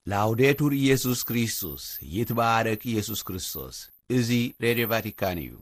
ላውዴቱር ኢየሱስ ክርስቶስ፣ ይትባረክ ኢየሱስ ክርስቶስ። እዚ ሬድዮ ቫቲካን እዩ።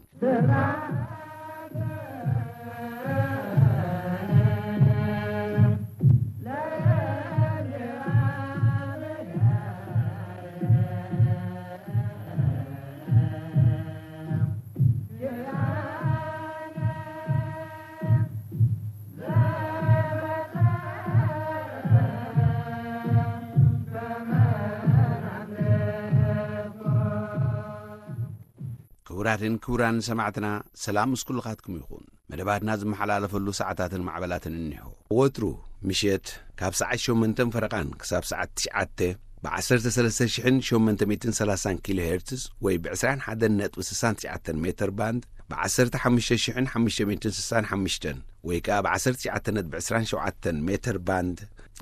ክቡራትን ክቡራን ሰማዕትና፣ ሰላም ምስ ኩልኻትኩም ይኹን። መደባትና ዝመሓላለፈሉ ሰዓታትን ማዕበላትን እኒሆ። ወትሩ ምሸት ካብ ሰዓት ሸሞንተን ፈረቓን ክሳብ ሰዓት ትሽዓተ ብ ዓሰርተ ሰለስተ ሽሕን ሸሞንተ ሚእትን ሰላሳን ኪሎ ሄርትዝ ወይ ብ ዕስራን ሓደን ነጥቢ ስሳን ትሽዓተን ሜተር ባንድ፣ ብ ዓሰርተ ሓሙሽተ ሽሕን ሓሙሽተ ሚእትን ስሳን ሓሙሽተን ወይ ከኣ ብ ዓሰርተ ትሽዓተ ነጥቢ ዕስራን ሸውዓተን ሜተር ባንድ፣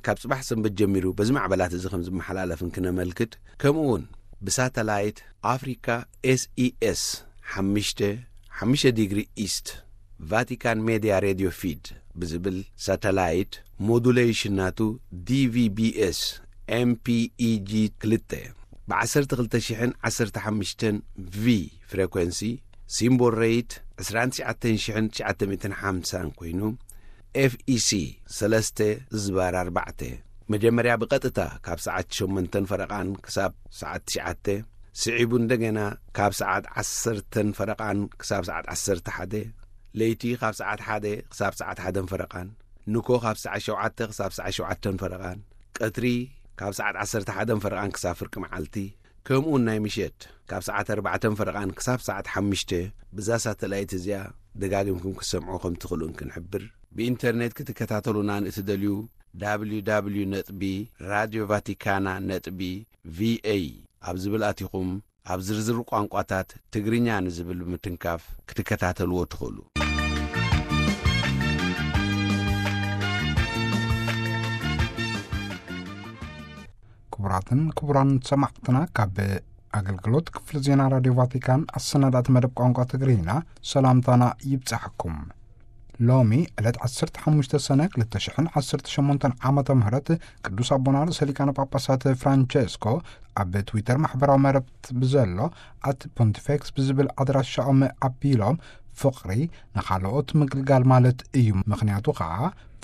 ካብ ጽባሕ ሰንበት ጀሚሩ በዚ ማዕበላት እዚ ከም ዝመሓላለፍን ክነመልክት፣ ከምኡ እውን ብሳተላይት ኣፍሪካ ኤስኢኤስ ሓሙሽተ፣ ሓሙሽተ ዲግሪ ኢስት፣ ቫቲካን ሜድያ ሬድዮ ፊድ ብዝብል ሳተላይት፣ ሞዱሌሽን ናቱ ዲቪቢኤስ ኤምፒኢጂ ክልተ፣ ብ ዓሰርተ ክልተ ሽሕን ዓሰርተ ሓሙሽተን ቪ ፍሬኮንሲ፣ ሲምቦል ሬት ዕስራን ትሽዓተን ሽሕን ትሽዓተ ሚእትን ሓምሳን ኮይኑ፣ ኤፍኢሲ ሰለስተ ዝባር ኣርባዕተ፣ መጀመርያ ብቐጥታ ካብ ሰዓት ሸሞንተን ፈረቓን ክሳብ ሰዓት ትሽዓተ፣ ስዒቡ እንደገና ካብ ሰዓት ዓሰርተን ፈረቓን ክሳብ ሰዓት ዓሰርተ ሓደ፣ ለይቲ ካብ ሰዓት ሓደ ክሳብ ሰዓት ሓደን ፈረቓን፣ ንኮ ካብ ሰዓት ሸውዓተ ክሳብ ሰዓት ሸውዓተን ፈረቓን፣ ቀትሪ ካብ ሰዓት ዓሰርተ ሓደን ፈረቓን ክሳብ ፍርቂ መዓልቲ፣ ከምኡውን ናይ ምሸት ካብ ሰዓት ኣርባዕተን ፈረቓን ክሳብ ሰዓት ሓሙሽተ፣ ብዛ ሳተላይት እዚኣ ደጋጊምኩም ክትሰምዑ ከም ትኽእሉን ክንሕብር። ብኢንተርኔት ክትከታተሉና ንእትደልዩ፣ www ነጥቢ ራድዮ ቫቲካና ነጥቢ ቪኤ ኣብ ዝብል ኣቲኹም፣ ኣብ ዝርዝር ቋንቋታት ትግርኛ ንዝብል ብምትንካፍ ክትከታተልዎ ትኽእሉ። ክቡራትን ክቡራን ሰማዕትና፣ ካብ ኣገልግሎት ክፍሊ ዜና ራድዮ ቫቲካን ኣሰናዳእቲ መደብ ቋንቋ ትግርኛ ሰላምታና ይብጻሕኩም። ሎሚ ዕለት ዓሰርተ ሓሙሽተ ሰነ ክልተ ሽሕን ዓሰርተ ሸሞንተን ዓመተ ምህረት ቅዱስ ኣቦና ርእሰ ሊቃነ ጳጳሳት ፍራንቸስኮ ኣብ ትዊተር ማሕበራዊ መረብት ብዘሎ ኣት ፖንቲፌክስ ብዝብል ኣድራሻኦም ኣቢሎም፣ ፍቕሪ ንኻልኦት ምግልጋል ማለት እዩ። ምኽንያቱ ኸዓ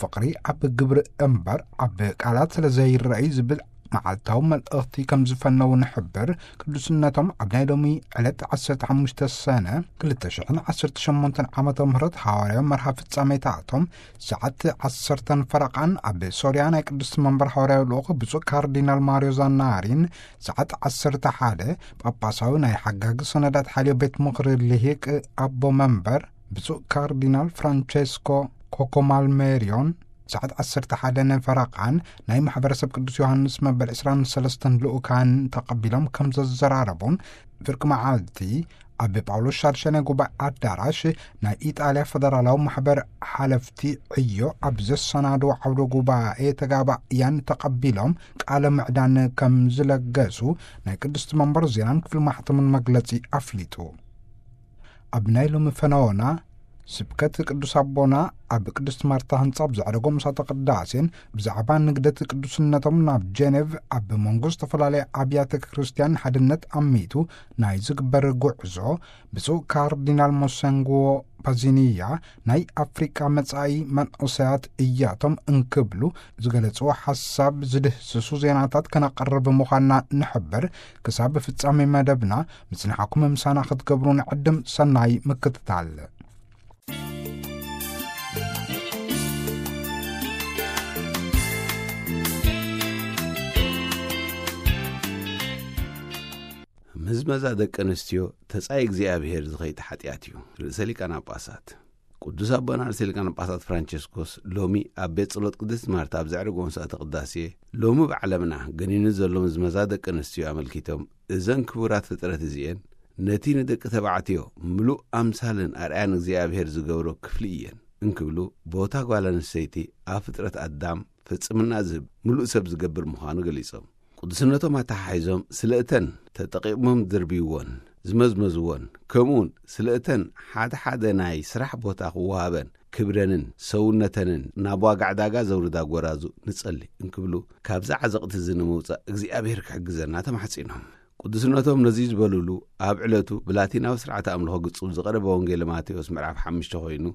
ፍቕሪ ኣብ ግብሪ እምበር ኣብ ቃላት ስለ ዘይረኣይ ዝብል መዓልታዊ መልእኽቲ ከም ዝፈነዉ ንሕብር። ቅዱስነቶም ኣብ ናይ ሎሚ ዕለት ዓሰርተ ሓሙሽተ ሰነ ክልተ ሽሕን ዓሰርተ ሸሞንተን ዓመተ ምህረት ሃዋርያዊ መርሃ ፍጻሜታቶም ሰዓት ዓሰርተን ፈረቓን ኣብ ሶርያ ናይ ቅዱስ መንበር ሃዋርያዊ ልኡኽ ብፁዕ ካርዲናል ማርዮ ዛናሪን፣ ሰዓት ዓሰርተ ሓደ ጳጳሳዊ ናይ ሓጋጊ ሰነዳት ሓልዮ ቤት ምኽሪ ልሂቅ ኣቦ መንበር ብፁዕ ካርዲናል ፍራንቸስኮ ኮኮማልሜሪዮን፣ ሰዓት ዓሰርተ ሓደ ፈረቓን ናይ ማሕበረሰብ ቅዱስ ዮሃንስ መበል ዕስራን ሰለስተን ልኡካን ተቐቢሎም ከም ዘዘራረቡን፣ ፍርቂ መዓልቲ ኣብ ጳውሎስ ሻድሻይ ናይ ጉባኤ ኣዳራሽ ናይ ኢጣልያ ፈደራላዊ ማሕበር ሓለፍቲ ዕዮ ኣብ ዘሰናድዎ ዓውደ ጉባኤ ተጋባእያን ተቐቢሎም ቃለ ምዕዳን ከም ዝለገሱ ናይ ቅድስቲ መንበር ዜናን ክፍሊ ማሕተምን መግለጺ ኣፍሊጡ። ኣብ ናይ ሎሚ ፈነወና ስብከት ቅዱስ ኣቦና ኣብ ቅድስት ማርታ ህንጻ ብዘዕረጎ ምሳተ ቅዳሴን ብዛዕባ ንግደት ቅዱስነቶም ናብ ጀኔቭ ኣብ መንጎ ዝተፈላለየ ኣብያተ ክርስቲያን ሓድነት ኣሚቱ ናይ ዝግበር ጉዕዞ ብፁዕ ካርዲናል ሞሰንጎ ፓዚኒያ ናይ ኣፍሪቃ መጻኢ መንእሰያት እያቶም እንክብሉ ዝገለጽዎ ሓሳብ ዝድህስሱ ዜናታት ከነቐርብ ምዃንና ንሕብር። ክሳብ ፍጻሜ መደብና ምጽንሓኩም ምሳና ክትገብሩ ንዕድም። ሰናይ ምክትታል። ምዝመዛ ደቂ ኣንስትዮ ተጻይ እግዚኣብሔር ዝኸይድ ሓጢኣት እዩ። ርእሰ ሊቃነ ጳጳሳት ቅዱስ ኣቦና ርእሰ ሊቃነ ጳጳሳት ፍራንቸስኮስ ሎሚ ኣብ ቤት ጸሎት ቅድስት ማርታ ኣብ ዘዕረጎ ምሳተ ቅዳሴ፣ ሎሚ ብዓለምና ገኒኑ ዘሎ ምዝመዛ ደቂ ኣንስትዮ ኣመልኪቶም፣ እዘን ክቡራት ፍጥረት እዚኤን ነቲ ንደቂ ተባዕትዮ ምሉእ ኣምሳልን ኣርኣያን እግዚኣብሔር ዝገብሮ ክፍሊ እየን እንክብሉ፣ ቦታ ጓል ኣንስተይቲ ኣብ ፍጥረት ኣዳም ፍጽምና ዝህብ ምሉእ ሰብ ዝገብር ምዃኑ ገሊጾም፣ ቅዱስነቶም ኣተሓሒዞም ስለ እተን ተጠቒሞም ዝድርብይዎን ዝመዝመዝዎን፣ ከምኡውን ስለ እተን ሓደ ሓደ ናይ ስራሕ ቦታ ክወሃበን ክብረንን ሰውነተንን ናብ ዋጋ ዕዳጋ ዘውርዳ ጎራዙ ንጸሊ እንክብሉ፣ ካብዚ ዓዘቕቲ እዚ ንምውጻእ እግዚኣብሔር ክሕግዘና ተማሕጺኖም። ቅዱስነቶም ነዚ ዝበሉሉ፣ ኣብ ዕለቱ ብላቲናዊ ስርዓተ ኣምልኾ ግጹብ ዝቐረበ ወንጌል ማቴዎስ ምዕራፍ ሓሙሽተ ኮይኑ፣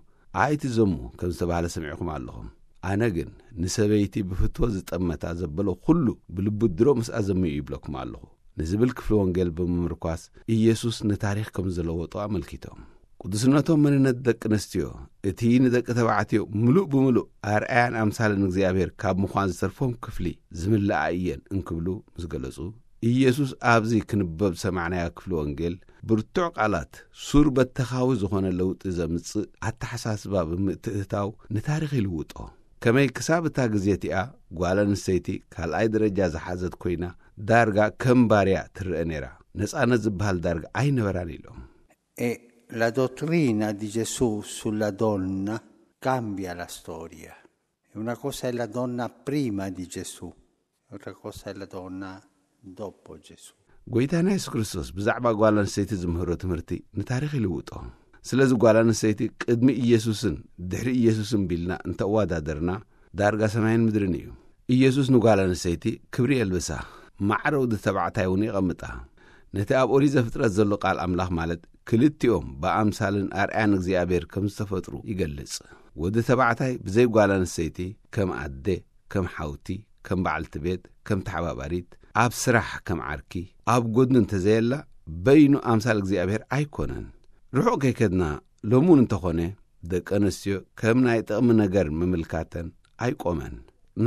ኣይትዘሙ ከም ዝተባህለ ሰሚዕኹም ኣለኹም። ኣነ ግን ንሰበይቲ ብፍትወት ዝጠመታ ዘበሎ ኩሉ ብልቡ ድሮ ምስኣ ዘምዩ ይብለኩም ኣለኹ ንዝብል ክፍሊ ወንጌል ብምምርኳስ፣ ኢየሱስ ንታሪኽ ከም ዝለወጦ ኣመልኪቶም። ቅዱስነቶም መንነት ደቂ ኣንስትዮ፣ እቲ ንደቂ ተባዕትዮ ምሉእ ብምሉእ ኣርኣያን ኣምሳልን እግዚኣብሔር ካብ ምዃን ዝተርፎም ክፍሊ ዝምልኣ እየን እንክብሉ ምስ ገለጹ፣ ኢየሱስ ኣብዚ ክንበብ ዝሰማዕናዮ ክፍሊ ወንጌል ብርቱዕ ቃላት፣ ሱር በተኻዊ ዝኾነ ለውጢ ዘምጽእ ኣተሓሳስባ ብምትእትታው ንታሪኽ ይልውጦ። ከመይ ክሳብ እታ ግዜ እቲኣ ጓል ኣንስተይቲ ካልኣይ ደረጃ ዝሓዘት ኮይና ዳርጋ ከም ባርያ ትረአ ነይራ፣ ነጻነት ዝበሃል ዳርጋ ኣይነበራን ኢሎም። E la dottrina di Gesù sulla donna cambia la storia. E una cosa è la donna prima di Gesù, e un'altra cosa è la donna dopo Gesù. ጎይታና የሱስ ክርስቶስ ብዛዕባ ጓል ኣንስተይቲ ዝምህሮ ትምህርቲ ንታሪኽ ይልውጦ። ስለዚ ጓል ኣንስተይቲ ቅድሚ ኢየሱስን ድሕሪ ኢየሱስን ቢልና እንተወዳደርና ዳርጋ ሰማይን ምድርን እዩ። ኢየሱስ ንጓል ኣንስተይቲ ክብሪ የልብሳ፣ ማዕረ ወዲ ተባዕታይ እውን የቐምጣ። ነቲ ኣብ ኦሪት ዘፍጥረት ዘሎ ቃል ኣምላኽ ማለት ክልቲኦም ብኣምሳልን ኣርኣያን እግዚኣብሔር ከም ዝተፈጥሩ ይገልጽ። ወዲ ተባዕታይ ብዘይ ጓል ኣንስተይቲ ከም ኣደ፣ ከም ሓውቲ፣ ከም በዓልቲ ቤት፣ ከም ተሓባባሪት፣ ኣብ ስራሕ ከም ዓርኪ፣ ኣብ ጎድኑ እንተዘየላ በይኑ ኣምሳል እግዚኣብሔር ኣይኮነን። ርሑቕ ከይከድና ሎሚ እውን እንተኾነ ደቂ ኣንስትዮ ከም ናይ ጥቕሚ ነገር ምምልካተን ኣይቆመን።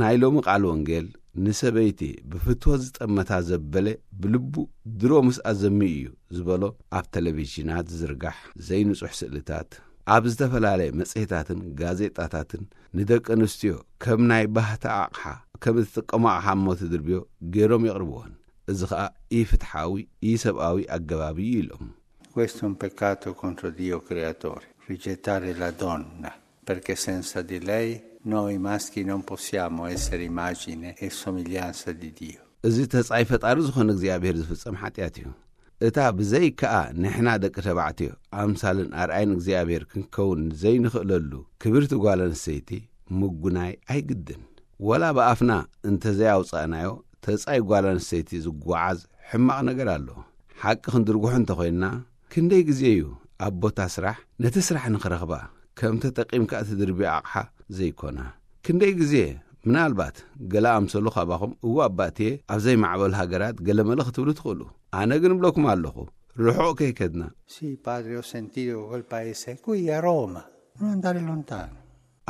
ናይ ሎሚ ቃል ወንጌል ንሰበይቲ ብፍትወት ዝጠመታ ዘበለ ብልቡ ድሮ ምስኣ ዘሚ እዩ ዝበሎ ኣብ ቴሌቪዥናት ዝዝርጋሕ ዘይንጹሕ ስእልታት፣ ኣብ ዝተፈላለየ መጽሔታትን ጋዜጣታትን ንደቂ ኣንስትዮ ከም ናይ ባህታ ኣቕሓ ከም እትጥቀሞ ኣቕሓ እሞ ትድርብዮ ገይሮም የቕርብዎን። እዚ ኸኣ ኢፍትሓዊ ኢሰብኣዊ ኣገባብ እዩ ኢሎም። Questo è un peccato contro Dio creatore, rigettare la donna, perché senza di lei noi maschi non possiamo essere immagine e somiglianza di Dio. እዚ ተጻይ ፈጣሪ ዝኾነ እግዚኣብሔር ዝፍጸም ሓጢኣት እዩ። እታ ብዘይ ከኣ ንሕና ደቂ ተባዕትዮ ኣምሳልን ኣርኣይን እግዚኣብሔር ክንከውን ዘይንኽእለሉ ክብርቲ ጓል ኣንስተይቲ ምጉናይ ኣይግድን። ወላ ብኣፍና እንተዘይኣውጻእናዮ ተጻይ ጓል ኣንስተይቲ ዝጓዓዝ ሕማቕ ነገር ኣሎ። ሓቂ ክንድርጉሑ እንተኾይንና ክንደይ ግዜ እዩ ኣብ ቦታ ስራሕ ነቲ ስራሕ ንኽረኽባ ከም ተጠቒምካ እትድርብዮ ኣቕሓ ዘይኮና? ክንደይ ግዜ ምናልባት ገለ ኣምሰሉ ካባኹም እዋ ኣባእትየ ኣብ ዘይማዕበሉ ሃገራት ገለመለ ክትብሉ ትኽእሉ። ኣነ ግን እብለኩም ኣለኹ ርሑቕ ከይከድና። Sì, padre, ho sentito che quel paese è qui a Roma, non andare lontano.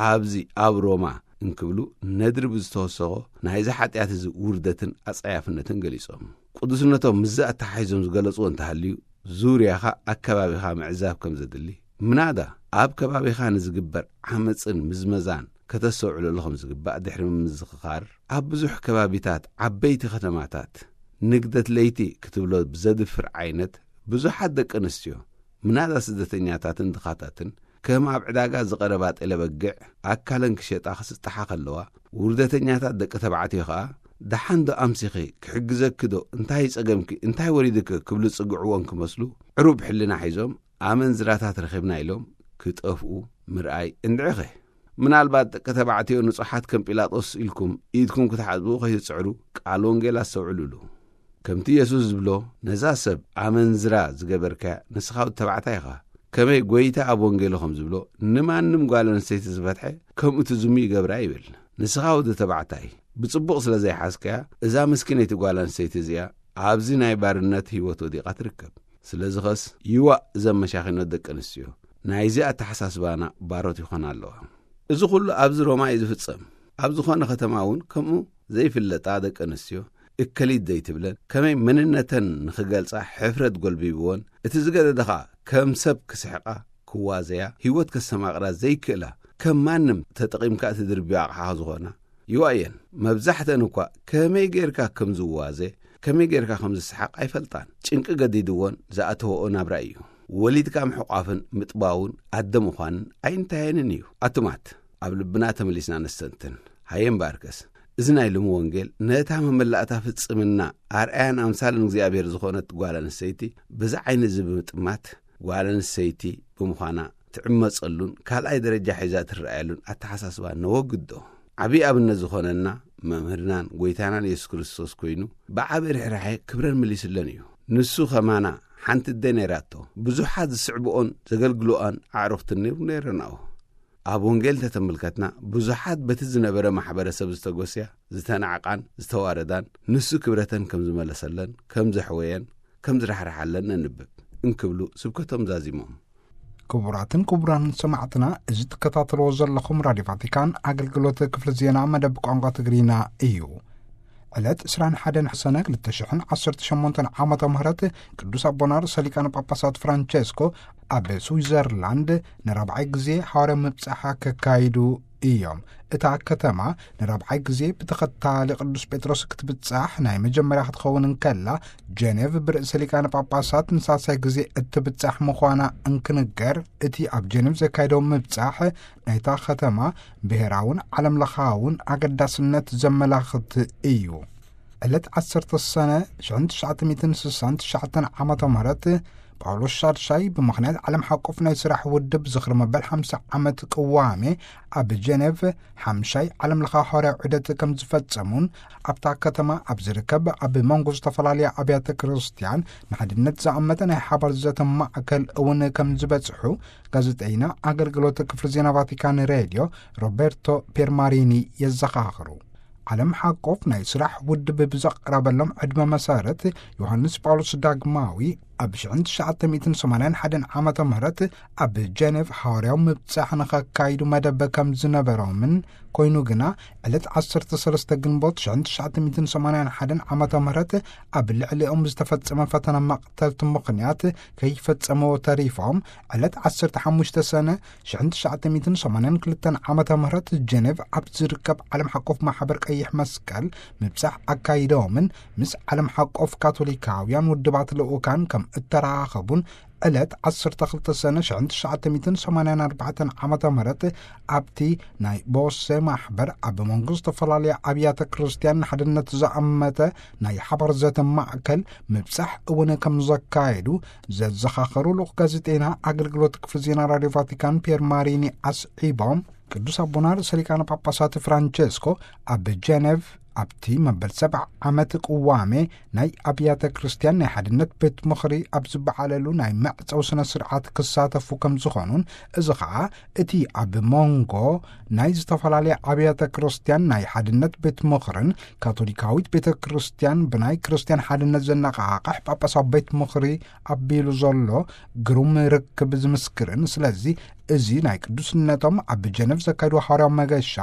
ኣብዚ ኣብ ሮማ እንክብሉ ነድሪ ብዝተወሰኾ ናይዚ ሓጢኣት እዚ ውርደትን ኣጸያፍነትን ገሊጾም። ቅዱስነቶም ምስዚ ኣተሓሒዞም ዝገለጽዎ እንተሃልዩ ዙርያኻ ኣከባቢኻ ምዕዛብ ከም ዘድሊ፣ ምናዳ ኣብ ከባቢኻ ንዝግበር ዓመጽን ምዝመዛን ከተስተውዕለሉ ከም ዝግባእ ድሕሪ ምምዝኽኻር፣ ኣብ ብዙሕ ከባቢታት ዓበይቲ ከተማታት ንግደት ለይቲ ክትብሎ ብዘድፍር ዓይነት ብዙሓት ደቂ ኣንስትዮ ምናዳ ስደተኛታትን ድኻታትን ከም ኣብ ዕዳጋ ዝቐረባ ጤለ በግዕ ኣካለን ክሸጣ ክስጥሓ ከለዋ፣ ውርደተኛታት ደቂ ተባዕትዮ ኸኣ ደሓን ዶ ኣምሲኺ፣ ክሕግዘኪ ዶ፣ እንታይ ጸገምኪ፣ እንታይ ወሪድኪ ክብሉ ዝጽግዕወን ክመስሉ ዕሩብ ሕልና ሒዞም ኣመንዝራታት ረኺብና ኢሎም ክጠፍኡ ምርኣይ እንድዒኸ። ምናልባት ደቂ ተባዕትዮ ንጹሓት ከም ጲላጦስ ኢልኩም ኢድኩም ክትሓጽቡ ከይትጽዕሩ ቃል ወንጌል ኣስተውዕሉሉ። ከምቲ የሱስ ዝብሎ ነዛ ሰብ ኣመንዝራ ዝገበርካያ ንስኻ ወዲ ተባዕታይ ኢኻ። ከመይ ጐይታ ኣብ ወንጌሉ ከም ዝብሎ ንማንም ጓል ኣንስተይቲ ዝፈትሐ ከምኡ ትዝሙ ይገብራ ይብል። ንስኻ ወዲ ተባዕታይ ብጽቡቕ ስለ ዘይሓዝካያ እዛ ምስኪነይቲ ጓል ኣንስተይቲ እዚኣ ኣብዚ ናይ ባርነት ህይወት ወዲቓ ትርከብ። ስለዚ ኸስ ይዋእ እዘን መሻኺኖት ደቂ ኣንስትዮ ናይዚ ኣተሓሳስባና ባሮት ይኾና ኣለዋ። እዚ ኹሉ ኣብዚ ሮማ እዩ ዝፍጸም። ኣብ ዝኾነ ከተማ እውን ከምኡ ዘይፍለጣ ደቂ ኣንስትዮ እከሊት ዘይትብለን ከመይ መንነተን ንኽገልጻ ሕፍረት ጎልቢብወን እቲ ዝገደደ ኸኣ ከም ሰብ ክስሕቃ ክዋዘያ ህይወት ከስተማቕራ ዘይክእላ ከም ማንም ተጠቒምካ እቲ ድርብዮ ኣቕሓ ዝኾና ይዋእየን። መብዛሕተን እኳ ከመይ ጌርካ ከም ዝዋዘ ከመይ ጌርካ ከም ዝስሓቕ ኣይፈልጣን። ጭንቂ ገዲድወን ዝኣተወኦ ናብራ እዩ። ወሊድካ ምሕቋፍን ምጥባውን ኣደ ምዃንን ኣይንታየንን እዩ። ኣቱማት ኣብ ልብና ተመሊስና ነስተንትን። ሃየ እምበኣርከስ እዚ ናይ ሎሚ ወንጌል ነታ መመላእታ ፍጽምና ኣርኣያን ኣምሳልን እግዚኣብሔር ዝኾነት ጓል ኣንስተይቲ በዚ ዓይኒ እዚ ብምጥማት ጓል ኣንስተይቲ ብምዃና ትዕመጸሉን ካልኣይ ደረጃ ሒዛ ትረኣየሉን ኣተሓሳስባ ነወግዶ። ዓብዪ ኣብነት ዝኾነና መምህርናን ጎይታናን የሱስ ክርስቶስ ኮይኑ፣ ብዓቢ ርሕራሐ ክብረን መሊስለን እዩ። ንሱ ኸማና ሓንቲ ኣደ ነይራቶ። ብዙሓት ዝስዕብኦን ዘገልግልኦን ኣዕሩኽትን ነይሩ ነይረናኦ። ኣብ ወንጌል እንተተመልከትና፣ ብዙሓት በቲ ዝነበረ ማሕበረሰብ ዝተጎስያ፣ ዝተናዕቓን ዝተዋረዳን፣ ንሱ ክብረተን ከም ዝመለሰለን፣ ከም ዘሕወየን፣ ከም ዝራሕርሓለን ነንብብ እንክብሉ ስብከቶም ዛዚሞም። ክቡራትን ክቡራን ሰማዕትና፣ እዚ ትከታተልዎ ዘለኹም ራድዮ ቫቲካን ኣገልግሎት ክፍሊ ዜና መደብ ቋንቋ ትግርኛ እዩ። ዕለት ዕስራን ሓደን ሰነ ክልተ ሽሕን ዓሰርተ ሸሞንተን ዓመተ ምህረት ቅዱስ ኣቦና ርእሰ ሊቃነ ጳጳሳት ፍራንቸስኮ ኣብ ስዊዘርላንድ ንራብዓይ ግዜ ሓዋርያዊ ምብጻሕ ከካይዱ እዮም። እታ ከተማ ንራብዓይ ግዜ ብተኸታሊ ቅዱስ ጴጥሮስ ክትብጻሕ ናይ መጀመርያ ክትኸውን እንከላ፣ ጀኔቭ ብርእሰ ሊቃነ ጳጳሳት ንሳልሳይ ግዜ እትብጻሕ ምዃና እንክንገር፣ እቲ ኣብ ጀኔቭ ዘካየደው ምብጻሕ ናይታ ከተማ ብሔራውን ዓለም ለኻውን ኣገዳስነት ዘመላኽት እዩ። ዕለት ዓሰርተ ሰነ ሽሕን ትሽዓተ ሚእትን ስሳን ትሽዓተን ዓመተ ምህረት ጳውሎስ ሻድሻይ ብምኽንያት ዓለም ሓቆፍ ናይ ስራሕ ውድብ ዝኽሪ መበል ሓምሳ ዓመት ቅዋሜ ኣብ ጀኔቭ ሓምሻይ ዓለም ለኻ ሐዋርያዊ ዑደት ከም ዝፈጸሙን ኣብታ ከተማ ኣብ ዝርከብ ኣብ መንጎ ዝተፈላለያ ኣብያተ ክርስቲያን ንሓድነት ዝኣመተ ናይ ሓባር ዘተ ማእከል እውን ከም ዝበጽሑ ጋዜጠይና ኣገልግሎት ክፍሊ ዜና ቫቲካን ሬድዮ ሮቤርቶ ፔርማሪኒ የዘኻኽሩ። ዓለም ሓቆፍ ናይ ስራሕ ውድብ ብዘቕረበሎም ዕድመ መሰረት ዮሃንስ ጳውሎስ ዳግማዊ ኣብ ሽሕን ትሽዓተ ሚእትን ሰማንያን ሓደን ዓመተ ምህረት ኣብ ጀኔቭ ሐዋርያዊ ምብጻሕ ንኸካይዱ መደብ ከም ዝነበሮምን ኮይኑ ግና ዕለት ዓሰርተ ሰለስተ ግንቦት ሽሕን ትሽዓተ ሚእትን ሰማንያን ሓደን ዓመተ ምህረት ኣብ ልዕሊኦም ዝተፈጸመ ፈተና መቕተልቲ ምኽንያት ከይፈጸምዎ ተሪፎም ዕለት ዓሰርተ ሓሙሽተ ሰነ ሽሕን ትሽዓተ ሚእትን ሰማንያን ክልተን ዓመተ ምህረት ጀኔቭ ኣብ ዝርከብ ዓለም ሓቆፍ ማሕበር ቀይሕ መስቀል ምብጻሕ ኣካይዶምን ምስ ዓለም ሓቆፍ ካቶሊካውያን ውድባት ልኡካን ከም እተራኸቡን ዕለት ዓሰርተ ክልተ ሰነ ሽሕን ትሽዓተ ሚእትን ሰማንያን ኣርባዕተን ዓመተ ምህረት ኣብቲ ናይ ቦሴ ማሕበር ኣብ መንጎ ዝተፈላለያ ኣብያተ ክርስቲያን ንሓድነት ዝኣመተ ናይ ሓባር ዘተ ማእከል ምብጻሕ እውን ከም ዘካየዱ ዘዘኻኸሩ ልኡኽ ጋዜጠይና ኣገልግሎት ክፍሊ ዜና ራድዮ ቫቲካን ፒየር ማሪኒ ኣስዒቦም፣ ቅዱስ ኣቦና ርእሰ ሊቃነ ጳጳሳት ፍራንቸስኮ ኣብ ጀኔቭ ኣብቲ መበል ሰብዓ ዓመት ቅዋሜ ናይ ኣብያተ ክርስቲያን ናይ ሓድነት ቤት ምኽሪ ኣብ ዝበዓለሉ ናይ መዕጸዊ ስነ ስርዓት ክሳተፉ ከም ዝኾኑን፣ እዚ ኸኣ እቲ ኣብ መንጎ ናይ ዝተፈላለያ ኣብያተ ክርስቲያን ናይ ሓድነት ቤት ምኽርን ካቶሊካዊት ቤተ ክርስቲያን ብናይ ክርስቲያን ሓድነት ዘነቓቕሕ ጳጳሳዊ ቤት ምኽሪ ኣቢሉ ዘሎ ግሩም ርክብ ዝምስክርን፣ ስለዚ እዚ ናይ ቅዱስነቶም ኣብ ጀነቭ ዘካየድዎ ሓዋርያዊ መገሻ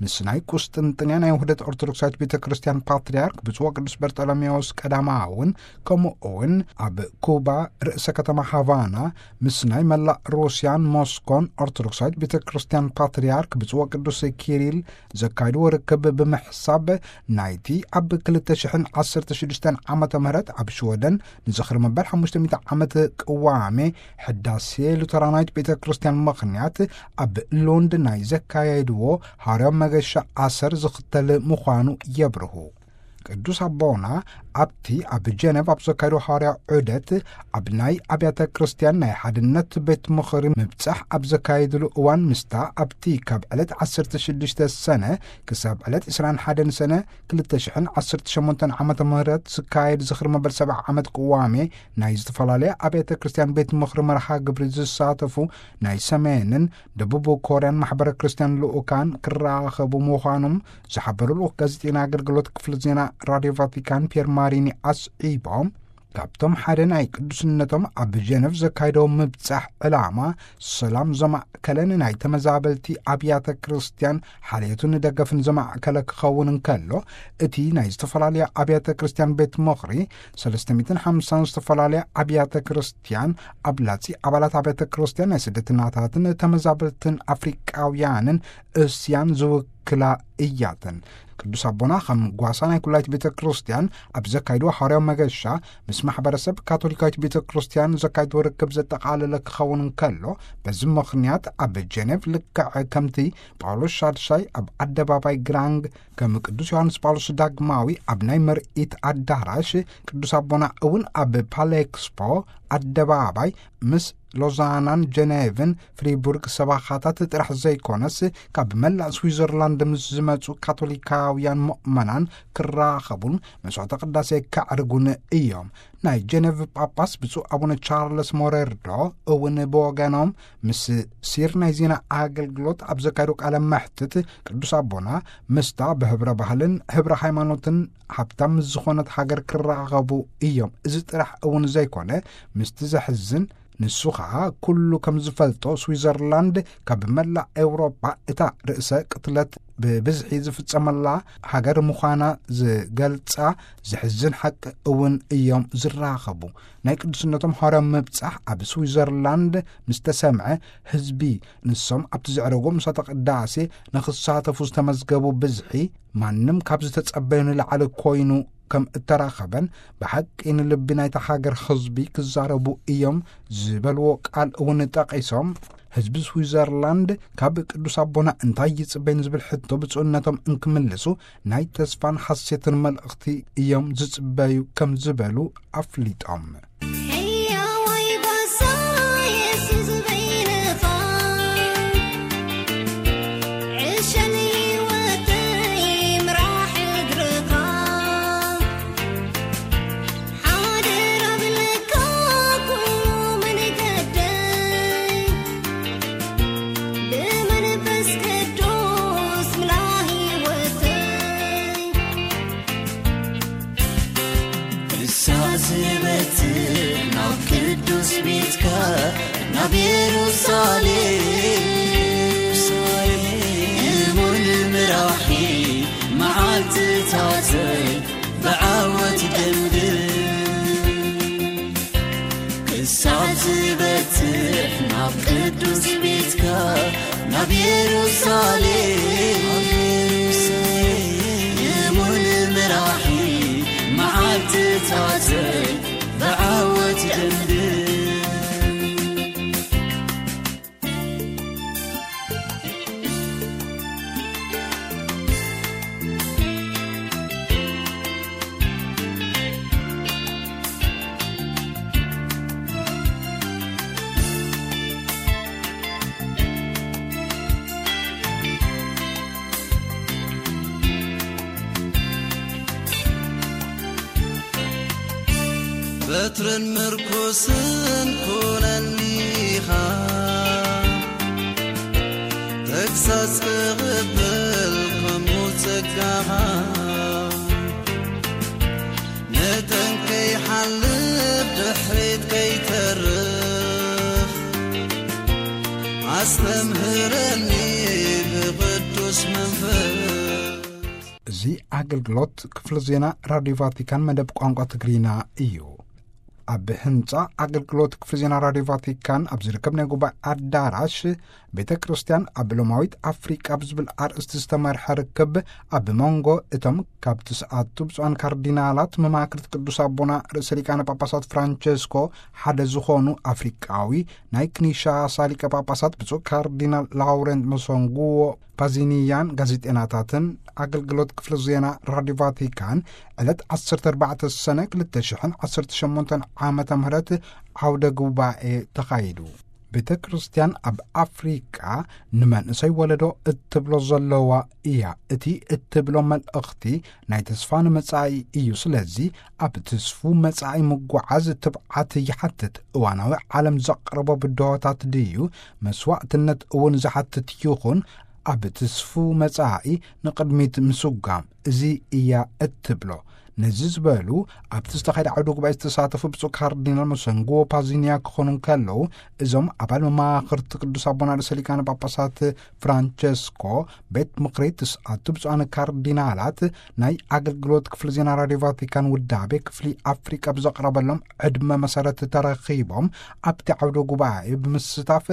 ምስ ናይ ቁስጥንጥንያ ናይ ውህደት ኦርቶዶክሳዊት ቤተ ክርስቲያን ፓትርያርክ ብፁዕ ወቅዱስ በርጠሎሜዎስ ቀዳማውን፣ ከምኡ እውን ኣብ ኩባ ርእሰ ከተማ ሃቫና ምስ ናይ መላእ ሩስያን ሞስኮን ኦርቶዶክሳዊት ቤተ ክርስቲያን ፓትርያርክ ብፁዕ ወቅዱስ ኪሪል ዘካየድዎ ርክብ ብምሕሳብ፣ ናይቲ ኣብ ክልተ ሽሕን ዓሰርተ ሽዱሽተን ዓመተ ምህረት ኣብ ሽወደን ንዝኽሪ መበል ሓሙሽተ ሚእቲ ዓመት ቅዋሜ ሕዳሴ ሉተራናዊት ቤተ ክርስቲያን ምኽንያት ኣብ ሎንድ ናይ ዘካየድዎ ሓዋርያዊ መገሻ ኣሰር ዝኽተል ምዃኑ የብርሁ። ቅዱስ ኣቦና ኣብቲ ኣብ ጀነቭ ኣብ ዘካየድዎ ሓዋርያዊ ዑደት ኣብ ናይ ኣብያተ ክርስቲያን ናይ ሓድነት ቤት ምኽሪ ምብጻሕ ኣብ ዘካየድሉ እዋን ምስታ ኣብቲ ካብ ዕለት ዓሰርተ ሽዱሽተ ሰነ ክሳብ ዕለት ዕስራን ሓደን ሰነ ክልተ ሽሕን ዓሰርተ ሸሞንተን ዓመተ ምህረት ዝካየድ ዝኽሪ መበል ሰብዓ ዓመት ቅዋሜ ናይ ዝተፈላለያ ኣብያተ ክርስቲያን ቤት ምኽሪ መርሃ ግብሪ ዝሳተፉ ናይ ሰሜንን ደቡብ ኮርያን ማሕበረ ክርስቲያን ልኡካን ክራኸቡ ምዃኖም ዝሓበሩ ልኡኽ ጋዜጠኛ ኣገልግሎት ክፍሊ ዜና ራድዮ ቫቲካን ፒየር ማሪኒ ኣስዒቦም፣ ካብቶም ሓደ ናይ ቅዱስነቶም ኣብ ጀነቭ ዘካየደዎ ምብጻሕ ዕላማ ሰላም ዘማእከለ ንናይ ተመዛበልቲ ኣብያተ ክርስቲያን ሓልዮትን ደገፍን ዘማእከለ ክኸውን እንከሎ፣ እቲ ናይ ዝተፈላለያ ኣብያተ ክርስቲያን ቤት ምኽሪ ሰለስተ ሚእትን ሓምሳን ዝተፈላለያ ኣብያተ ክርስቲያን ኣብላጺ ኣባላት ኣብያተ ክርስቲያን ናይ ስደተናታትን ተመዛበልትን ኣፍሪቃውያንን እስያን ዝውክላ እያተን። ቅዱስ ኣቦና ከም ጓሳ ናይ ኩላይት ቤተ ክርስቲያን ኣብ ዘካይድዎ ሓዋርያዊ መገሻ ምስ ማሕበረሰብ ካቶሊካዊት ቤተ ክርስቲያን ዘካይድዎ ርክብ ዘጠቓለለ ክኸውን እንከሎ፣ በዚ ምኽንያት ኣብ ጀኔቭ ልክዕ ከምቲ ጳውሎስ ሻድሻይ ኣብ ኣደባባይ ግራንግ ከም ቅዱስ ዮሃንስ ጳውሎስ ዳግማዊ ኣብ ናይ ምርኢት ኣዳራሽ፣ ቅዱስ ኣቦና እውን ኣብ ፓሌክስፖ ኣደባባይ ምስ ሎዛናን ጀኔቭን ፍሪቡርግ ሰባኻታት ጥራሕ ዘይኮነስ፣ ካብ መላእ ስዊዘርላንድ ምስ ዝመጹ ካቶሊካውያን ምእመናን ክራኸቡን መስዋዕተ ቅዳሴ ከዕርጉን እዮም። ናይ ጀኔቭ ጳጳስ ብፁዕ ኣቡነ ቻርለስ ሞሬርዶ እውን ብወገኖም ምስ ሲር ናይ ዜና ኣገልግሎት ኣብ ዘካየዱ ቃለ መሕትት፣ ቅዱስ ኣቦና ምስታ ብህብረ ባህልን ህብረ ሃይማኖትን ሃብታም ምስ ዝኾነት ሃገር ክራኸቡ እዮም። እዚ ጥራሕ እውን ዘይኮነ፣ ምስቲ ዘሕዝን ንሱ ኸኣ ኩሉ ከም ዝፈልጦ ስዊዘርላንድ ካብ መላእ ኤውሮጳ እታ ርእሰ ቅትለት ብብዝሒ ዝፍጸመላ ሃገር ምዃና ዝገልጻ ዘሕዝን ሓቂ እውን እዮም ዝራኸቡ። ናይ ቅዱስነቶም ሃዋርያዊ ምብጻሕ ኣብ ስዊዘርላንድ ምስ ተሰምዐ፣ ህዝቢ ንሶም ኣብቲ ዘዕረጎ ምሳተ ቅዳሴ ንኽሳተፉ ዝተመዝገቡ ብዝሒ ማንም ካብ ዝተጸበዮ ንላዕሊ ኮይኑ ከም እተራኸበን፣ ብሓቂ ንልቢ ናይታ ሃገር ህዝቢ ክዛረቡ እዮም ዝበልዎ ቃል እውን ጠቒሶም፣ ህዝቢ ስዊዘርላንድ ካብ ቅዱስ ኣቦና እንታይ ይጽበይ ንዝብል ሕቶ ብፁዕነቶም እንክምልሱ፣ ናይ ተስፋን ሓሴትን መልእኽቲ እዮም ዝጽበዩ ከም ዝበሉ ኣፍሊጦም። ሕያዋይ ጓሳ የሱስ በይንኻ፣ ዕሸል ህይወተይ ምራሕ እግርኻ፣ ሓደራ ብለካ ኩሉ መንገደይ፣ ብመንፈስ ቅዱስ ምላ ህይወተይ። ክሳዕ ዝበጽሕ ናብ ቅዱስ ቤትካ፣ ናብ የሩሳሌም፣ እሙን ምራሒ መዓልትታተይ ብዓወት ደምድም። ክሳዕ ዝበጽሕ ናብ ቅዱስ ቤትካ፣ ናብ የሩሳሌም፣ እሙን ምራሒ መዓልትታተይ ብዓወት ደምድም። በትርን ምርኩስን ኩነኒ ኢኻ፣ ተግሳጽ ክቕበል ከምኡ ጸጋኻ፣ ንጠንቀይ ሓልፍ ድሕሪት ከይተርፍ፣ ኣስተምህረኒ ብቕዱስ መንፈስ። እዚ ኣገልግሎት ክፍሊ ዜና ራድዮ ቫቲካን መደብ ቋንቋ ትግርኛ እዩ። ኣብ ህንጻ ኣገልግሎት ክፍሊ ዜና ራድዮ ቫቲካን ኣብ ዝርከብ ናይ ጉባኤ ኣዳራሽ፣ ቤተ ክርስቲያን ኣብ ሎማዊት ኣፍሪቃ ብዝብል ኣርእስቲ ዝተመርሐ ርክብ ኣብ መንጎ እቶም ካብ ትስዓቱ ብፁዓን ካርዲናላት መማክርት ቅዱስ ኣቦና ርእሰ ሊቃነ ጳጳሳት ፍራንቸስኮ ሓደ ዝኾኑ ኣፍሪቃዊ ናይ ክኒሻሳ ሊቀ ጳጳሳት ብፁዕ ካርዲናል ላውረንት መሶንጉዎ ፓዚኒያን ጋዜጤናታትን ኣገልግሎት ክፍሊ ዜና ራድዮ ቫቲካን ዕለት ዓሰርተ ኣርባዕተ ሰነ ክልተ ሽሕን ዓሰርተ ሸሞንተን ዓመተ ምህረት ዓውደ ጉባኤ ተኻይዱ። ቤተ ክርስቲያን ኣብ ኣፍሪቃ ንመንእሰይ ወለዶ እትብሎ ዘለዋ እያ። እቲ እትብሎ መልእኽቲ ናይ ተስፋ ንመጻኢ እዩ። ስለዚ ኣብ ትስፉ መጻኢ ምጓዓዝ ትብዓት ይሓትት። እዋናዊ ዓለም ዘቕረቦ ብድሆታት ድዩ መስዋዕትነት እውን ዝሓትት ይኹን፣ ኣብ ትስፉ መጻኢ ንቕድሚት ምስጓም፣ እዚ እያ እትብሎ። ነዚ ዝበሉ ኣብቲ ዝተኻየደ ዓውደ ጉባኤ ዝተሳተፉ ብፁዕ ካርዲናል መሰንግዎ ፓዚኒያ ክኾኑ እንከለዉ፣ እዞም ኣባል መማኽርቲ ቅዱስ ኣቦና ርእሰ ሊቃነ ጳጳሳት ፍራንቸስኮ ቤት ምኽሪ ትስዓቱ ብፁዓን ካርዲናላት ናይ ኣገልግሎት ክፍሊ ዜና ራድዮ ቫቲካን ውዳቤ ክፍሊ ኣፍሪቃ ብዘቕረበሎም ዕድመ መሰረት ተረኺቦም ኣብቲ ዓውደ ጉባኤ ብምስታፍ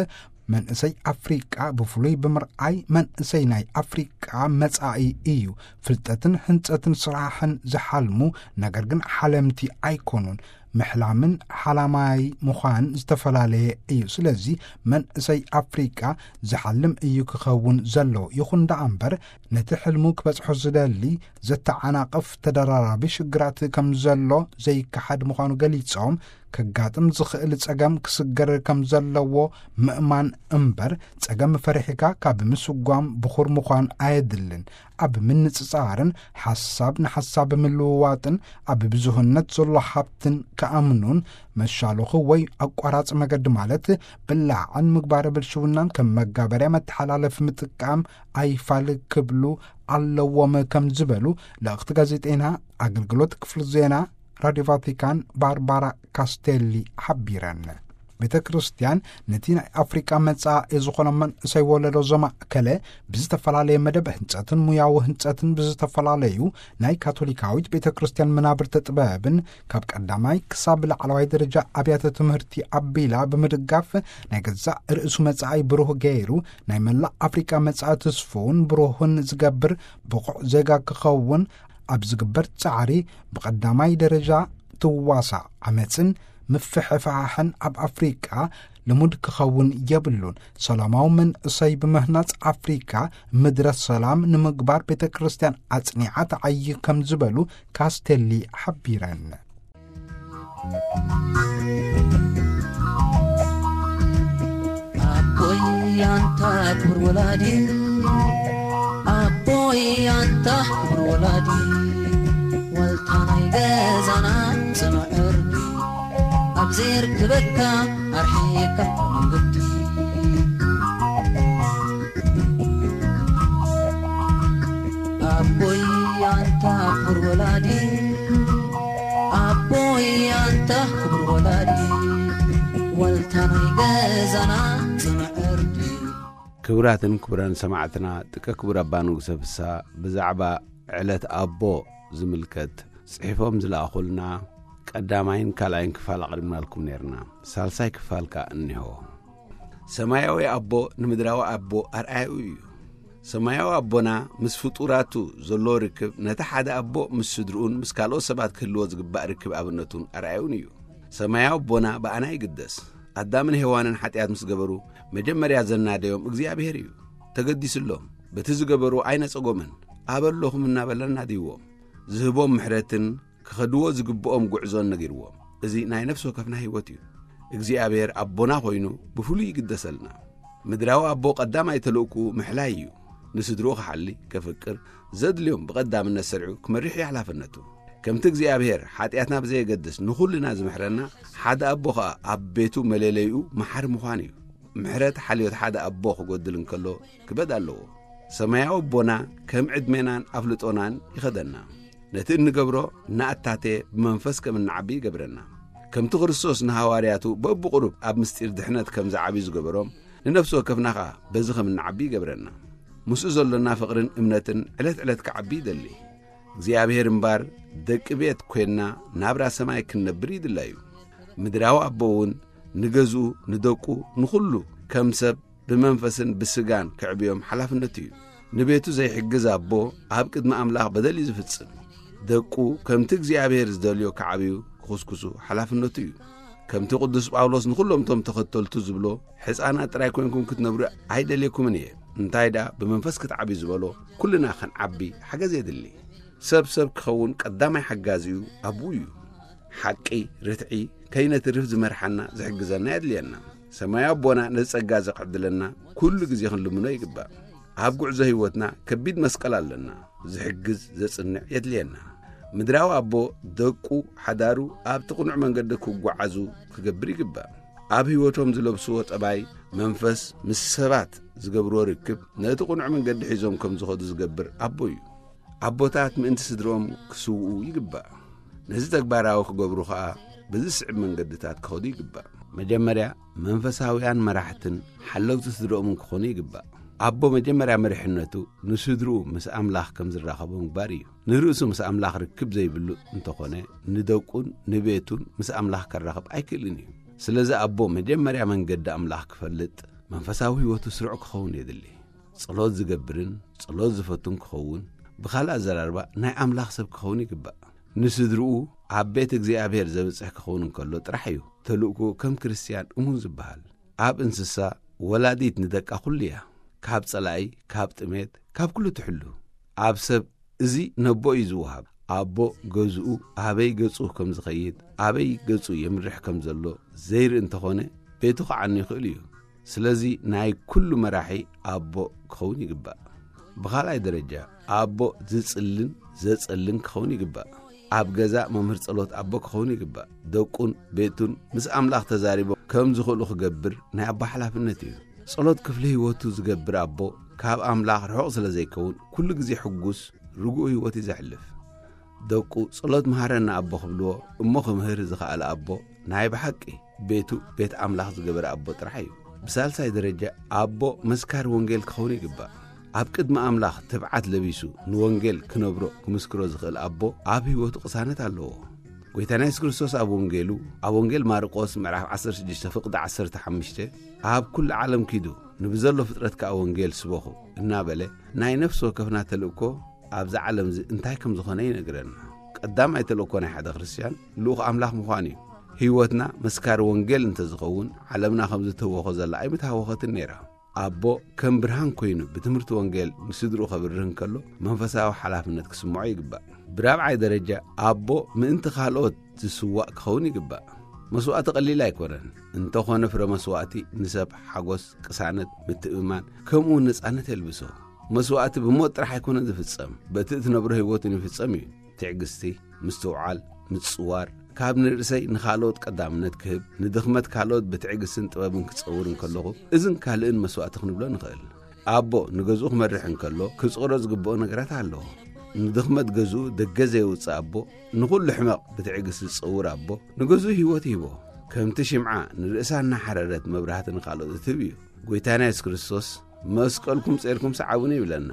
መንእሰይ ኣፍሪቃ ብፍሉይ ብምርኣይ መንእሰይ ናይ ኣፍሪቃ መጻኢ እዩ። ፍልጠትን ህንጸትን ስራሕን ዝሓልሙ ነገር ግን ሓለምቲ ኣይኮኑን። ምሕላምን ሓላማይ ምዃን ዝተፈላለየ እዩ። ስለዚ መንእሰይ ኣፍሪቃ ዝሓልም እዩ ክኸውን ዘለዎ። ይኹን ደኣ እምበር ነቲ ሕልሙ ክበጽሖ ዝደሊ ዘተዓናቕፍ ተደራራቢ ሽግራት ከም ዘሎ ዘይከሓድ ምዃኑ ገሊጾም፣ ከጋጥም ዝኽእል ጸገም ክስገር ከም ዘለዎ ምእማን እምበር፣ ጸገም ፈሪሕካ ካብ ምስጓም ብኹር ምዃን ኣየድልን። ኣብ ምንጽጻርን ሓሳብ ንሓሳብ ምልውዋጥን ኣብ ብዙህነት ዘሎ ሃብትን ክኣምኑን፣ መሻሎኺ ወይ ኣቋራጺ መገዲ ማለት ብላዕን ምግባረ ብልሽውናን ከም መጋበርያ መተሓላለፊ ምጥቃም ኣይፋል ክብሉ ኣለዎም ከም ዝበሉ ልእኽቲ ጋዜጠይና ኣገልግሎት ክፍሊ ዜና ራድዮ ቫቲካን ባርባራ ካስቴሊ ሓቢረን። ቤተ ክርስቲያን ነቲ ናይ ኣፍሪቃ መጻኢ ዝኾነ መንእሰይ ወለዶ ዘማእከለ ብዝተፈላለየ መደብ ህንጸትን ሙያዊ ህንጸትን ብዝተፈላለዩ ናይ ካቶሊካዊት ቤተ ክርስቲያን መናብርቲ ጥበብን ካብ ቀዳማይ ክሳብ ላዕለዋይ ደረጃ ኣብያተ ትምህርቲ ኣቢላ ብምድጋፍ ናይ ገዛእ ርእሱ መጻኢ ብሩህ ገይሩ ናይ መላእ ኣፍሪቃ መጻኢ ትስፉውን ብሩህን ዝገብር ብቑዕ ዜጋ ክኸውን ኣብ ዝግበር ጻዕሪ ብቐዳማይ ደረጃ ትዋሳእ ዓመጽን ምፍሕፋሕን ኣብ ኣፍሪቃ ልሙድ ክኸውን የብሉን። ሰላማዊ መንእሰይ ብምህናጽ ኣፍሪቃ ምድረ ሰላም ንምግባር ቤተ ክርስቲያን ኣጽኒዓ ተዓይ ከም ዝበሉ ካስቴሊ ሓቢረን። ኣቦይ ኣንታ ክቡር ወላዲ፣ ኣቦይ ኣንታ ክቡር ወላዲ፣ ዋልታ ናይ ገዛና ጽኑዕ ዕርዲ፣ ኣብ ዘይርክበካ ኣርሒቕካ መንገዲ። ኣቦይ ኣንታ ክቡር ወላዲ፣ ኣቦይ ኣንታ ክቡር ወላዲ፣ ዋልታ ናይ ገዛና ጽኑዕ ዕርዲ። ክቡራትን ክቡራን ሰማዕትና፣ ጥቀ ክቡር ኣባ ንጉሰ ፍስሃ ብዛዕባ ዕለት ኣቦ ዝምልከት ጽሒፎም ዝለኣኹልና ቀዳማይን ካልኣይን ክፋል ኣቕሪብናልኩም ነይርና። ሳልሳይ ክፋል ከኣ እኒሆ። ሰማያዊ ኣቦ ንምድራዊ ኣቦ ኣርኣያኡ እዩ። ሰማያዊ ኣቦና ምስ ፍጡራቱ ዘለዎ ርክብ ነቲ ሓደ ኣቦ ምስ ስድርኡን ምስ ካልኦት ሰባት ክህልዎ ዝግባእ ርክብ ኣብነቱን ኣርኣያኡን እዩ። ሰማያዊ ኣቦና ብኣና ይግደስ። ኣዳምን ሄዋንን ሓጢኣት ምስ ገበሩ መጀመርያ ዘናደዮም እግዚኣብሔር እዩ። ተገዲስሎም፣ በቲ ዝገበሩ ኣይነጸጎምን። ኣበሎኹም እናበለ ኣናድይዎም፣ ዝህቦም ምሕረትን ክኸድዎ ዝግብኦም ጉዕዞን ነጊርዎም። እዚ ናይ ነፍሲ ወከፍና ህይወት እዩ። እግዚኣብሔር ኣቦና ኮይኑ ብፍሉይ ይግደሰልና። ምድራዊ ኣቦ ቀዳማይ ተልእኩኡ ምሕላይ እዩ። ንስድርኡ ክሓሊ፣ ከፍቅር፣ ዘድልዮም ብቐዳምነት ሰሪዑ ክመርሕ እዩ ሓላፍነቱ። ከምቲ እግዚኣብሔር ሓጢኣትና ብዘየገድስ ንኹልና ዝምሕረና፣ ሓደ ኣቦ ኸኣ ኣብ ቤቱ መለለይኡ መሓሪ ምዃን እዩ። ምሕረት ሓልዮት ሓደ ኣቦ ክጎድል እንከሎ ክበድ ኣለዎ። ሰማያዊ ኣቦና ከም ዕድሜናን ኣፍልጦናን ይኸደና። ነቲ እንገብሮ እናኣታተ ብመንፈስ ከም እንዓቢ ይገብረና። ከምቲ ክርስቶስ ንሃዋርያቱ በብቕሩብ ኣብ ምስጢር ድሕነት ከም ዝዓብዩ ዝገበሮም፣ ንነፍሲ ወከፍና ኸኣ በዚ ከም እንዓቢ ይገብረና። ምስኡ ዘሎና ፍቕርን እምነትን ዕለት ዕለት ክዓቢ ይደሊ። እግዚኣብሔር እምባር ደቂ ቤት ኮይንና ናብራ ሰማይ ክንነብር ይድላዩ። ምድራዊ ኣቦ እውን ንገዝኡ፣ ንደቁ፣ ንኹሉ ከም ሰብ ብመንፈስን ብስጋን ከዕብዮም ሓላፍነቱ እዩ። ንቤቱ ዘይሕግዝ ኣቦ ኣብ ቅድሚ ኣምላኽ በደል እዩ ዝፍጽም። ደቁ ከምቲ እግዚኣብሔር ዝደልዮ ክዓብዩ ክኹስኩሱ ሓላፍነቱ እዩ። ከምቲ ቅዱስ ጳውሎስ ንኹሎም እቶም ተኸተልቱ ዝብሎ፣ ሕፃናት ጥራይ ኮይንኩም ክትነብሩ ኣይደልየኩምን እየ፣ እንታይ ደኣ ብመንፈስ ክትዓብዩ ዝበሎ፣ ኩልና ክንዓቢ ሓገዝ የድሊ። ሰብ ሰብ ክኸውን ቀዳማይ ሓጋዚኡ ኣቦኡ እዩ። ሓቂ፣ ርትዒ ከይነትርፍ ዝመርሓና ዝሕግዘና የድልየና። ሰማያዊ ኣቦና ነዚ ጸጋ እዚ ክዕድለና ኩሉ ግዜ ክንልምኖ ይግባእ። ኣብ ጉዕዞ ህይወትና ከቢድ መስቀል ኣለና። ዝሕግዝ ዘጽንዕ የድልየና። ምድራዊ ኣቦ ደቁ፣ ሓዳሩ ኣብቲ ቅኑዕ መንገዲ ክጓዓዙ ክገብር ይግባእ። ኣብ ህይወቶም ዝለብስዎ ጠባይ መንፈስ ምስ ሰባት ዝገብርዎ ርክብ ነቲ ቅኑዕ መንገዲ ሒዞም ከም ዝኸዱ ዝገብር ኣቦ እዩ። ኣቦታት ምእንቲ ስድርኦም ክስውኡ ይግባእ። ነዚ ተግባራዊ ክገብሩ ኸኣ በዚ ዝስዕብ መንገድታት ክኸዱ ይግባእ። መጀመርያ መንፈሳውያን መራሕትን ሓለውቲ ስድርኦምን ክኾኑ ይግባእ። ኣቦ መጀመርያ መሪሕነቱ ንስድርኡ ምስ ኣምላኽ ከም ዝራኸቦ ምግባር እዩ። ንርእሱ ምስ ኣምላኽ ርክብ ዘይብሉ እንተኾነ፣ ንደቁን ንቤቱን ምስ ኣምላኽ ከራኽብ ኣይክእልን እዩ። ስለዚ ኣቦ መጀመርያ መንገዲ ኣምላኽ ክፈልጥ፣ መንፈሳዊ ህይወቱ ስሩዕ ክኸውን የድሊ። ጸሎት ዝገብርን ጸሎት ዝፈቱን ክኸውን፣ ብኻልእ ኣዘራርባ ናይ ኣምላኽ ሰብ ክኸውን ይግባእ። ንስድርኡ ኣብ ቤት እግዚኣብሔር ዘብጽሕ ክኸውን እንከሎ ጥራሕ እዩ ተልእኮ ከም ክርስትያን እሙን ዝበሃል። ኣብ እንስሳ ወላዲት ንደቃ ኩሉ እያ። ካብ ጸላኢ፣ ካብ ጥሜት፣ ካብ ኩሉ ትሕሉ። ኣብ ሰብ እዚ ነቦ እዩ ዝወሃብ። ኣቦ ገዝኡ ኣበይ ገጹ ከም ዝኸይድ፣ ኣበይ ገጹ የምርሕ ከም ዘሎ ዘይርኢ እንተኾነ፣ ቤቱ ክዓኑ ይኽእል እዩ። ስለዚ ናይ ኩሉ መራሒ ኣቦ ክኸውን ይግባእ። ብኻልኣይ ደረጃ፣ ኣቦ ዝጽልን ዘጸልን ክኸውን ይግባእ። ኣብ ገዛ መምህር ጸሎት ኣቦ ክኸውን ይግባእ። ደቁን ቤቱን ምስ ኣምላኽ ተዛሪቦም ከም ዝኽእሉ ክገብር ናይ ኣቦ ሓላፍነት እዩ። ጸሎት ክፍሊ ህይወቱ ዝገብር ኣቦ ካብ ኣምላኽ ርሑቕ ስለ ዘይከውን፣ ኩሉ ግዜ ሕጉስ ርጉእ ህይወት እዩ ዘሕልፍ። ደቁ ጸሎት መሃረና ኣቦ ክብልዎ እሞ ክምህር ዝኸኣለ ኣቦ ናይ ብሓቂ ቤቱ ቤት ኣምላኽ ዝገበረ ኣቦ ጥራሕ እዩ። ብሳልሳይ ደረጃ ኣቦ መስካሪ ወንጌል ክኸውን ይግባእ። ኣብ ቅድሚ ኣምላኽ ትብዓት ለቢሱ ንወንጌል ክነብሮ ክምስክሮ ዝኽእል ኣቦ ኣብ ህይወቱ ቅሳነት ኣለዎ። ጎይታና የሱስ ክርስቶስ ኣብ ወንጌሉ፣ ኣብ ወንጌል ማርቆስ ምዕራፍ ዓሰርተ ሽዱሽተ ፍቕዲ ዓሰርተ ሓሙሽተ፣ ኣብ ኩሉ ዓለም ኪዱ ንብዘሎ ፍጥረት ከኣ ወንጌል ስበኹ እናበለ ናይ ነፍሲ ወከፍና ተልእኮ ኣብዛ ዓለም እዚ እንታይ ከም ዝኾነ ይነግረና። ቀዳማይ ተልእኮ ናይ ሓደ ክርስትያን ልኡኽ ኣምላኽ ምዃን እዩ። ህይወትና መስካሪ ወንጌል እንተዝኸውን ዓለምና ከም ዝተወኾ ዘላ ኣይምተሃወኸትን ነይራ። ኣቦ ከም ብርሃን ኮይኑ ብትምህርቲ ወንጌል ንስድርኡ ከብርህ እንከሎ መንፈሳዊ ሓላፍነት ክስምዖ ይግባእ። ብራብዓይ ደረጃ ኣቦ ምእንቲ ካልኦት ዝስዋእ ክኸውን ይግባእ። መስዋእቲ ቀሊል ኣይኮነን። እንተኾነ ፍረ መስዋእቲ ንሰብ ሓጎስ፣ ቅሳነት፣ ምትእምማን ከምኡ እውን ነጻነት የልብሶ። መስዋእቲ ብሞት ጥራሕ ኣይኮነን ዝፍጸም፣ በቲ እትነብሮ ህይወትን ይፍጸም እዩ። ትዕግስቲ፣ ምስትውዓል፣ ምጽዋር፣ ካብ ንርእሰይ ንኻልኦት ቀዳምነት ክህብ፣ ንድኽመት ካልኦት ብትዕግስትን ጥበብን ክጸውር እንከለኹ፣ እዝን ካልእን መስዋእቲ ክንብሎ ንኽእል። ኣቦ ንገዝኡ ክመርሕ እንከሎ ክጽወሮ ዝግብኦ ነገራት ኣለዎ። ንድኽመት ገዝኡ ደገ ዘየውጽእ ኣቦ ንኹሉ ሕመቕ ብትዕግስቲ ዝጸውር ኣቦ ንገዝኡ ህይወት ይህቦ። ከምቲ ሽምዓ ንርእሳ እናሓረረት መብራህቲ ንኻልኦት እትህብ እዩ። ጎይታና የሱስ ክርስቶስ መስቀልኩም ጼርኩም ሰዓቡኒ ይብለና።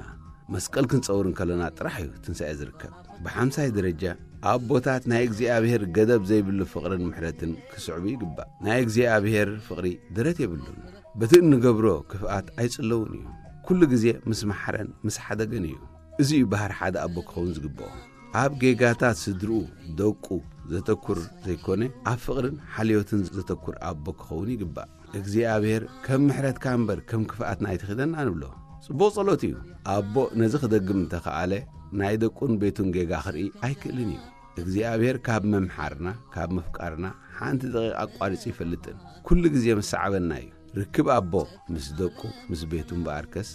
መስቀል ክንጸውር እንከለና ጥራሕ እዩ ትንሳኤ ዝርከብ። ብሓምሳይ ደረጃ ኣቦታት ናይ እግዚኣብሔር ገደብ ዘይብሉ ፍቕርን ምሕረትን ክስዕቡ ይግባእ። ናይ እግዚኣብሔር ፍቕሪ ደረት የብሉን። በቲ እንገብሮ ክፍኣት ኣይጽለውን እዩ። ኩሉ ግዜ ምስ መሓረን ምስ ሓደገን እዩ። እዚ እዩ ባህር ሓደ ኣቦ ክኸውን ዝግብኦ። ኣብ ጌጋታት ስድርኡ፣ ደቁ ዘተኩር ዘይኮነ፣ ኣብ ፍቕርን ሓልዮትን ዘተኩር ኣቦ ክኸውን ይግባእ። እግዚኣብሔር ከም ምሕረትካ እምበር ከም ክፍኣትና ኣይትኺደና ንብሎ። ጽቡቕ ጸሎት እዩ። ኣቦ ነዚ ክደግም እንተኸኣለ፣ ናይ ደቁን ቤቱን ጌጋ ክርኢ ኣይክእልን እዩ። እግዚኣብሔር ካብ ምምሓርና፣ ካብ ምፍቃርና ሓንቲ ደቂቕ ኣቋሪጹ ይፈልጥን። ኩሉ ግዜ መሰዓበና እዩ። ርክብ ኣቦ ምስ ደቁ፣ ምስ ቤቱ እምበኣርከስ፣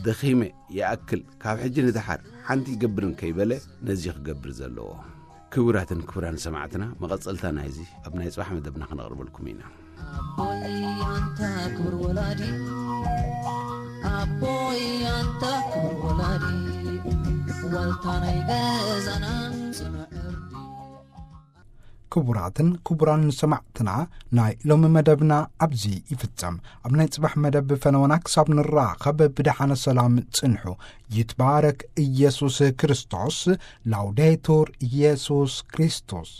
ደኺመ ይኣክል፣ ካብ ሕጂ ንደሓር ሓንቲ ይገብርን ከይበለ ነዚ ክገብር ዘለዎ። ክቡራትን ክቡራን ሰማዕትና፣ መቐጸልታ ናይዚ ኣብ ናይ ጽባሕ መደብና ክነቕርበልኩም ኢና። ኣቦይ ኣንታ ክቡር ወላዲ፣ ኣቦይ ኣንታ ክቡር ወላዲ፣ ዋልታ ናይ ገዛና ጽኑዕ ዕርዲ። ክቡራትን ክቡራን ሰማዕትና፣ ናይ ሎሚ መደብና ኣብዚ ይፍጸም። ኣብ ናይ ጽባሕ መደብ ፈነወና ክሳብ ንራኸብ ብደሓነ ሰላም ጽንሑ። ይትባረክ ኢየሱስ ክርስቶስ። ላውዴቱር ኢየሱስ ክርስቶስ።